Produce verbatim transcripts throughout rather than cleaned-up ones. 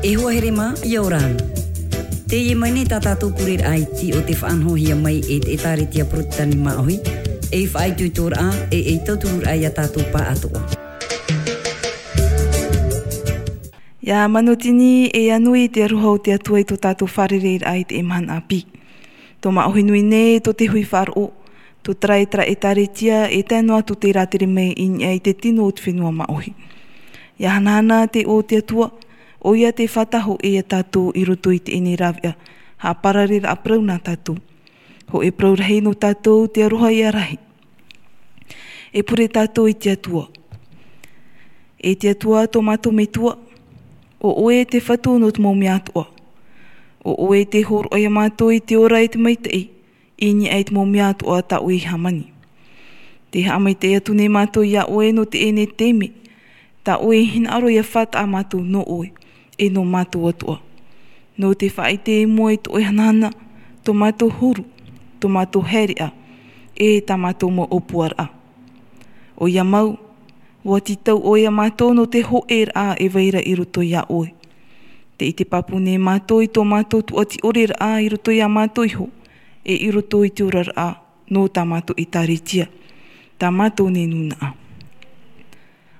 E hoa here mā, ʻia ora na. Teie mai nei tā tātou pureraʻa iti o te faʻanahohia mai e te ʻĒtārētia Porotetani Māʻohi, ei faʻaitoitoraʻa, e ei tautururaʻa ia tātou pāʻatoʻa. ʻIa manutini e ʻia nui te aroha o te Atua i tō tātou fārereiraʻa i teie mahana ʻāpī. Tō Māʻohi nui nei, tō te hui faʻaroʻo, tō terā e terā ʻĒtārētia, e tae noa atu te rātere mai i niʻa i te tino o te fenua Māʻohi. ʻIa hanahana te ʻō o te Atua, ʻoia tē faʻatahoʻa ia tātou i roto i teie nei rāveʻa, haʻaparareraʻa parau nā tātou. Hōʻē parau rahi nō tātou, te aroha ʻia rahi. E pure tātou i te Atua. E te Atua tō mātou Metua, ʻo ʻoe te Fatu nō te mau mea atoʻa. ʻO ʻoe tē hōroʻa ia mātou i te ora e te maitaʻi, i niʻa i te mau mea atoʻa tā ʻoe i hāmani. Tē haʻamaitaʻi atu nei mātou ia ʻoe nō teie nei taime, tā ʻoe i hinaʻaro ia faʻataʻa mātou nō ʻoe, e nō mātou atoʻa. Nō te faʻaʻite i mua i tō ʻoe hanahana, tō mātou huru, tō mātou haereʻa, e tā mātou mau ʻōpuaraʻa. ʻOia mau, ʻua tītau ʻoe ia mātou nō te hōʻēraʻa e vai ra i roto ia ʻoe. Tē ʻite pāpū nei mātou i tō mātou tuʻati ʻoreraʻa i roto ia mātou iho, e i roto i te oraraʻa nō tā mātou ʻĒtārētia, tā mātou nei nūnaʻa.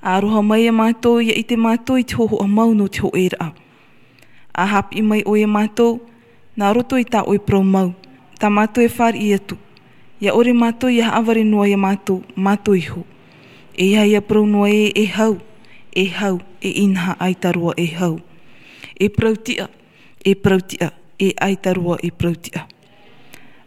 Aroha mai ia mātou, ʻia ʻite mātou i te hōhoʻa mau nō te hōʻēraʻa. ʻA haʻapiʻi mai ʻoe ia mātou, nā roto i tā ʻoe parau mau, tā mātou e fāriʻi atu. ʻIa ʻore mātou ʻia haʻavare noa ia mātou, mātou iho. E ʻia parau noa ē, e hau, e hau, e inaha ʻaita roa e hau. E parau tiʻa, e parau tiʻa, e ʻaita roa e parau tiʻa.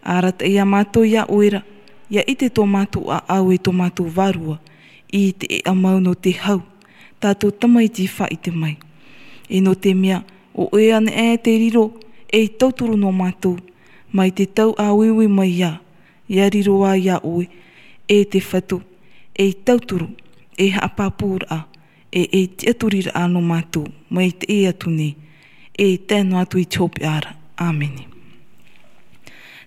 Arataʻi ia mātou ia ʻoe ra, ʻia ʻite tō mātou ʻāʻau e tō mātou vārua, i te ʻēʻa mau nō te hau, tā tō tamaiti i faʻaʻite mai. E nō te mea, ʻo ʻoe anaʻe te riro, ei tauturu nō mātou, mai te tau ʻa uiui mai ia, ʻia riro ā ia ʻoe, e te Fatu, ei tauturu, ei haʻapāpūraʻa, e ei tiʻaturiraʻa nō mātou, mai teie atu nei, e tae noa atu i te hopeʻa ra. ʻĀmene.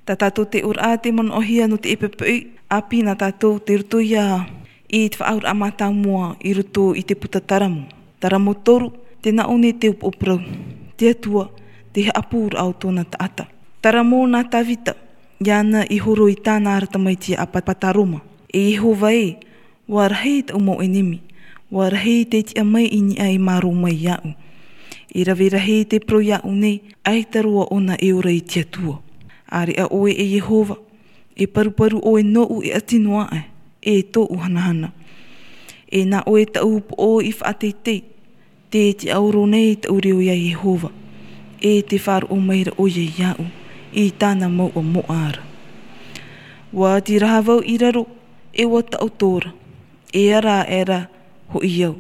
Tā tātou te ʻōraʻa tei manaʻohia nō te ʻepeʻepeʻi ʻāpī nā tātou tei roto ia i te faʻaauraʻa mātāmua i roto i te puta Taramo. Taramo toru, tē nā ʻō nei te upoʻo parau, te Atua, te haʻapūraʻa o tōna taʻata. Taramo nā Tāvita, iāna i horo i tāna ra tamaiti ʻApataroma. E Iehova ē, ʻua rahi taʻu mau ʻenemi, ʻua rahi te tiʻa mai i niʻa e mārō mai iāʻu. E rave rahi te parau iāʻu nei, ʻaita roa ʻōna e ora i te Atua. ʻĀreʻa ʻoe e Iehova, e paruparu ʻoe nōʻu e ʻati noa aʻe, e tōʻu hanahana. E nā ʻoe taʻu upoʻo i faʻateitei, tē tiʻaoro nei taʻu reo ia Iehova, e tē faʻaroʻo mai ra ʻoia iāʻu, i tāna mouʻa moʻa ra. ʻUa tīraha vau i raro, e ʻua taʻoto ra, e ara aʻe ra hoʻi au.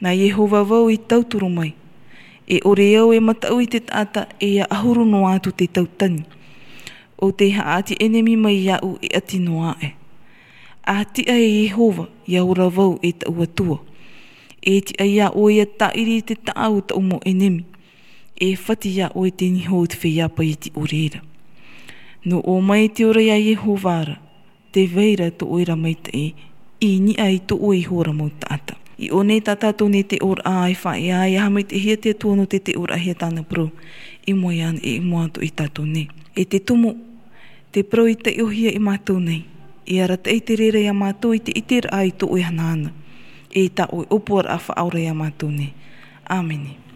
Nā Iehova vau i tauturu mai, e ʻore au e mataʻu i te taʻata, e ʻia ʻahuru noa atu te tau tani. ʻO tei haʻati ʻenemi mai iāʻu e ʻati noa aʻe. ʻA tiʻa e Iehova, ʻia ora vau e taʻu Atua. E tiʻa ia ʻoe ʻia tāʻiri i te taʻa o taʻu mau ʻenemi. E fati ia ʻoe te niho o te feiā paʻiti ʻore ra. Nō ʻō mai te ora ia Iehova ra, tē vai ra tō ʻoe ra maitaʻi, i niʻa i tō ʻoe iho ra mau taʻata. I ʻō nei tā tātou nei te ʻōraʻa e faʻaea, ʻia haʻamaitaʻihia te Atua nō te, te ʻōraʻahia tāna parau, i mua iāna e i mua atoʻa ia tātou nei. E te tumu, te parau i taiʻohia ia mātou nei, e arataʻi te reira ia mātou i te ʻiteraʻa i tō ʻoe hanahana, e tā ʻoe ʻōpuaraʻa faʻaora ia mātou nei. ʻĀmene.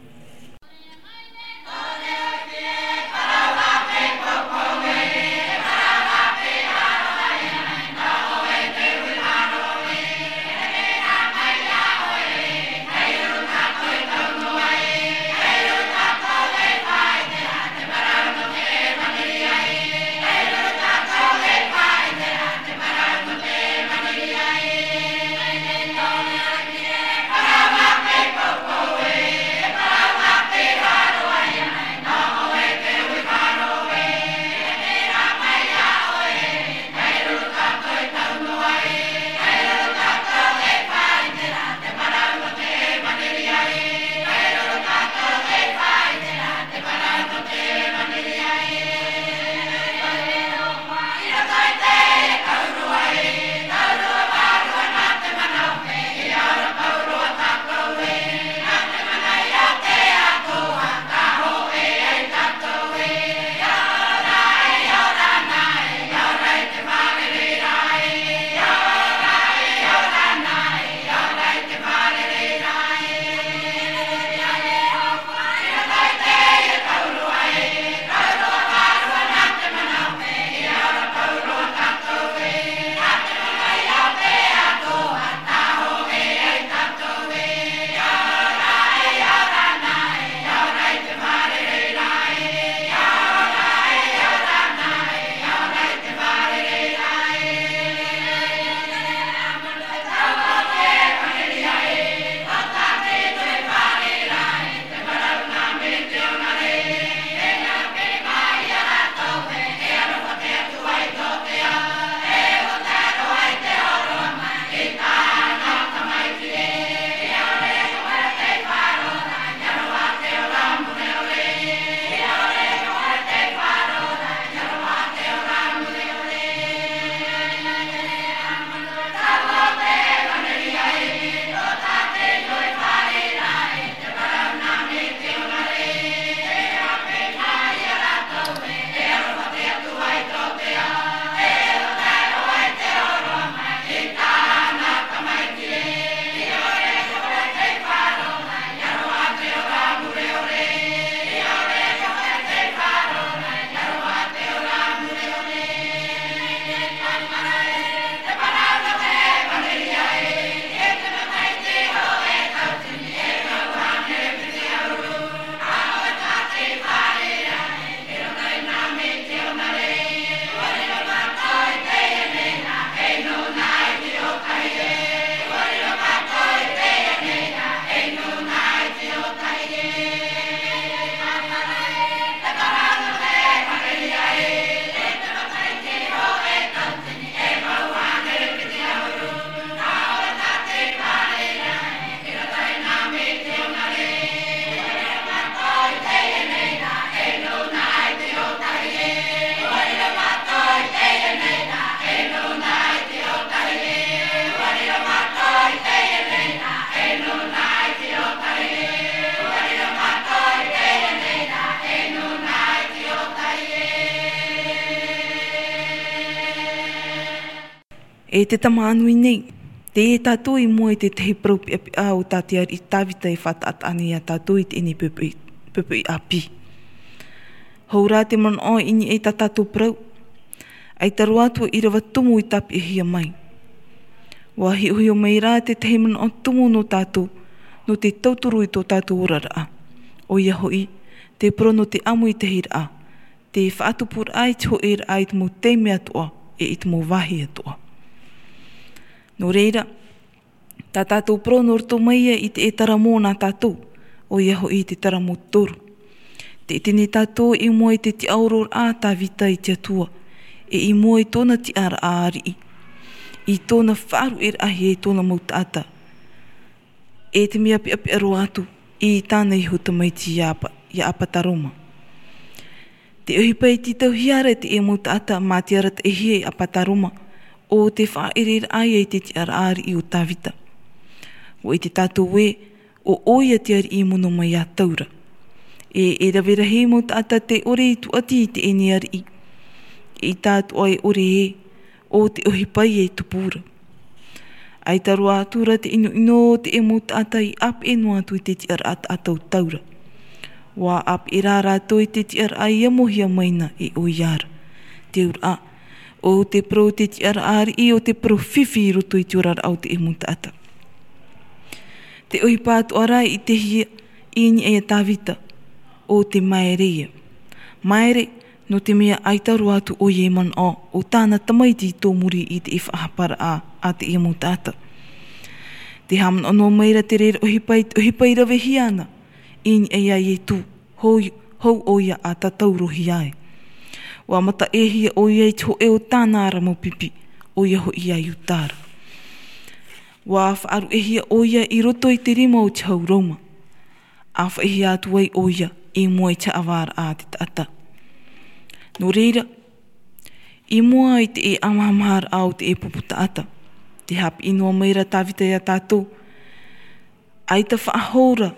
E te tamaʻa nui nei, tei tātou i mua i te tahi parau peʻapeʻa o tā te ariʻi Tāvita e faʻataʻataʻa nei iā tātou i teie nei poʻipoʻi, poʻipoʻi ʻāpī. Hou rā te manaʻo i niʻa i tā tātou parau, ʻaita roa atu ʻīrava tumu i tāpeʻahia mai. ʻUa hiʻohiʻo mai rā te tahi manaʻo tumu nō tātou, nō te tauturu i tō tātou oraraʻa. ʻOia hoʻi, te parau nō te ʻāmuitahiraʻa, te faʻatupuraʻa i te hōʻēraʻa i te mau taime atoʻa, e i te mau vāhi atoʻa. Nō reira, tā tātou parau nō roto mai ia i te ʻētara mō nā tātou, ʻoia hoʻi te taramo toru. Tē ʻite nei tātou i mua i te tiʻaororaʻa a Tāvita i te Atua, e i mua i tōna tiʻaraʻa ariʻi, i tōna faʻaruʻeraʻahia i tōna mau taʻata, e te mea peʻapeʻa roa atu i tāna iho tamaiti iā Apa-, iā Apataroma. Te ʻohipa i tītauhia ra e te mau taʻata mā te arataʻihia e Apataroma, ʻo te faʻaʻereraʻa ia i te tiʻaraʻa ariʻi o Tāvita. ʻUa ʻite tātou ē, ʻo ʻoia te ariʻi i mono mai iā Taura. E, e rave rahi mau taʻata tē ʻore i tūʻati i teie nei ariʻi. ʻEita atoʻa e ʻore ē, ʻo te ʻohipa ia e tupu ra. ʻAita roa atu ra te ʻinoʻino o te mau taʻata i ʻāpeʻe noa atu i te tiʻaraʻa taʻata o Taura. ʻUa ʻāpeʻe rā rātou i te tiʻaraʻa i amohia mai na e ʻoia ra. Te auraʻa, ʻo te parau o te tiʻaraʻa ariʻi ʻo te parau fifi i roto i te oraraʻa o te mau taʻata. Te ʻohipa atoʻa rā i ʻitehia i niʻa iā Tāvita, ʻo te māere ia. Māere, nō te mea ʻaita roa atu ʻoia i manaʻo ʻo tāna tamaiti i tō muri i te faʻahaparaʻa a te mau taʻata. Tē haʻamanaʻo noa mai ra te reira ʻohipa i te ʻohipa i ravehia ana i niʻa iā Ietu, hou, hou ʻoia a tātaurohia ai. ʻUa mataʻehia ʻoia i te hōʻē o tāna ara mau pipi, ʻoia hoʻi iā Iuta ra. ʻUa faʻaruʻehia ʻoia i roto i te rima o te hau Roma. ʻĀfaʻihia atu ai ʻoia i mua i te haʻavāraʻa a te taʻata. Nō reira, i mua i te ʻāmahamaharaʻa o te pupu taʻata, tē haʻapiʻi noa mai ra Tāvita iā tātou, ʻaita faʻahou ra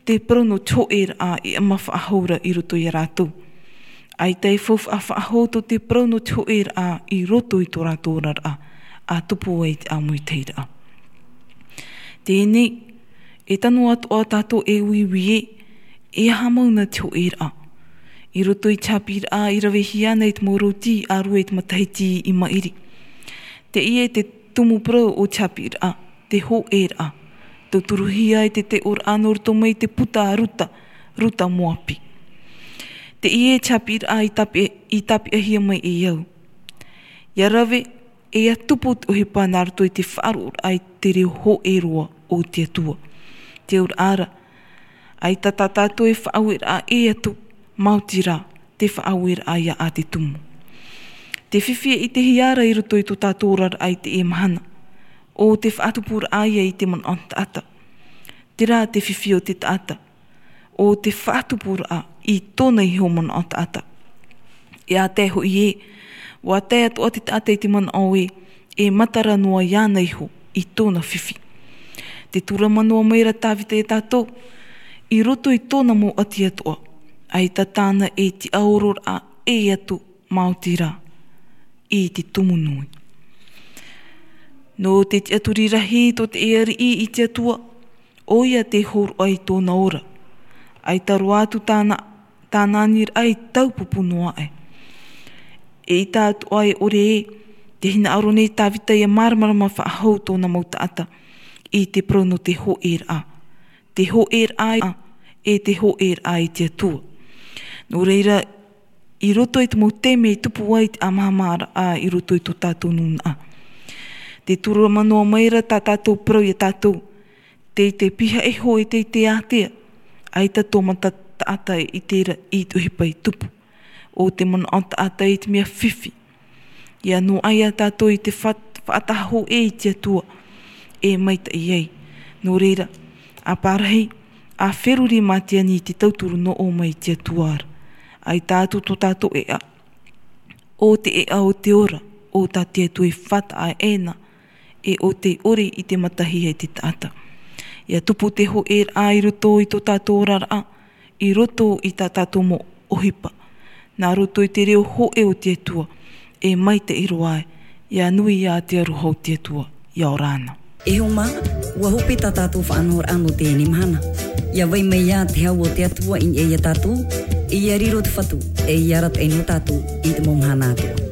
te parau nō te hōʻēraʻa e ʻama faʻahou ra i roto iā rātou. ʻAita e faufaʻa faʻahou tō te parau nō te hōʻēraʻa i roto i tō rātou oraraʻa, ʻa tupu ai te ʻāmuitahiraʻa. Teie nei, e tano atoʻa tātou e uiui ē, e aha mau na te hōʻēraʻa. I roto i te haʻapiʻiraʻa i ravehia ana i te mau rōti ʻārue i te matahiti i maʻiri. Teie te tumu parau o te haʻapiʻiraʻa, te hōʻēraʻa. Tauturuhia ai te teʻoraʻa nō roto mai te puta a Ruta, Ruta Moapi. Teie te haʻapiʻiraʻa i tāpe-, i tāpeʻahia mai e au. ʻIa rave, e ʻia tupu te ʻohipa nā roto i te faʻaroʻoraʻa i te reo hōʻē roa o te Atua. Te auraʻa ra, ʻaita tā tātou e faʻaueraʻa ʻē atu, maoti rā, te faʻaueraʻa ia a te tumu. Te fifi e ʻitehia ra i roto i tō tātou oraraʻa i teie mahana, ʻo te faʻatupuraʻa ia i te manaʻo taʻata. Terā te fifi o te taʻata, ʻo te faʻatupuraʻa i tōna iho manaʻo taʻata. E ʻa tae hoʻi ē, ʻua tae atoʻa te taʻata i te manaʻo ē, e matara noa iāna iho i tōna fifi. Tē tūrama noa mai ra Tāvita iā tātou, i roto i tōna mau ʻati atoʻa, ʻaita tāna e tiʻaororaʻa ʻē atu, maoti rā, i te tumu nui. Nō te tiʻaturi rahi tō te ariʻi i te Atua, ʻoia tē hōroʻa i tōna ora. ʻAita roa atu tāna, tāna aniraʻa i taupupu noa aʻe. ʻEita atoʻa e ʻore ē, tē hinaʻaro nei Tāvita ʻia māramarama faʻahou tōna mau taʻata i te parau nō te hōʻēraʻa. Te hōʻēraʻa, e te hōʻēraʻa i te Atua. Nō reira, i roto i te mau taime e tupu ai te ʻāmahamaharaʻa i roto i tō tātou nūnaʻa. Tē tūrama noa mai ra tā tātou parau iā tātou, tei te pihaʻi iho e tei te ātea, ʻaita tō mata taʻata e ʻite ra i te ʻohipa i tupu. ʻO te manaʻo taʻata i te mea fifi. ʻIa noaʻa ia tātou i te fa-, faʻataha hōʻē i te Atua, e maitaʻi ai. Nō reira, ʻa pārahi, ʻa feruri mā te ani i te tauturu nō ʻō mai i te Atua ra. ʻAita atu tō tātou ʻēʻa. ʻO te ʻēʻa o te ora, ʻo tā te Atua e faʻataʻa ʻē na, e ʻo tē ʻore i te matahia e te taʻata. ʻIa tupu te hōʻēraʻa i roto i tō tātou oraraʻa, i roto i tā tātou mau ʻohipa. Nā roto i te reo hōʻē o te Atua, e maitaʻi roa ai, ʻIa nui ā te aroha o te Atua, ʻia ora na. E hoa mā, ʻua hope tā tātou faʻanahoraʻa nō teie mahana. ʻIa vai mai ā te hau o te Atua i niʻa ia tātou, ʻia riro te Fatu, e ʻia arataʻi nō tātou i te mau mahana atoʻa.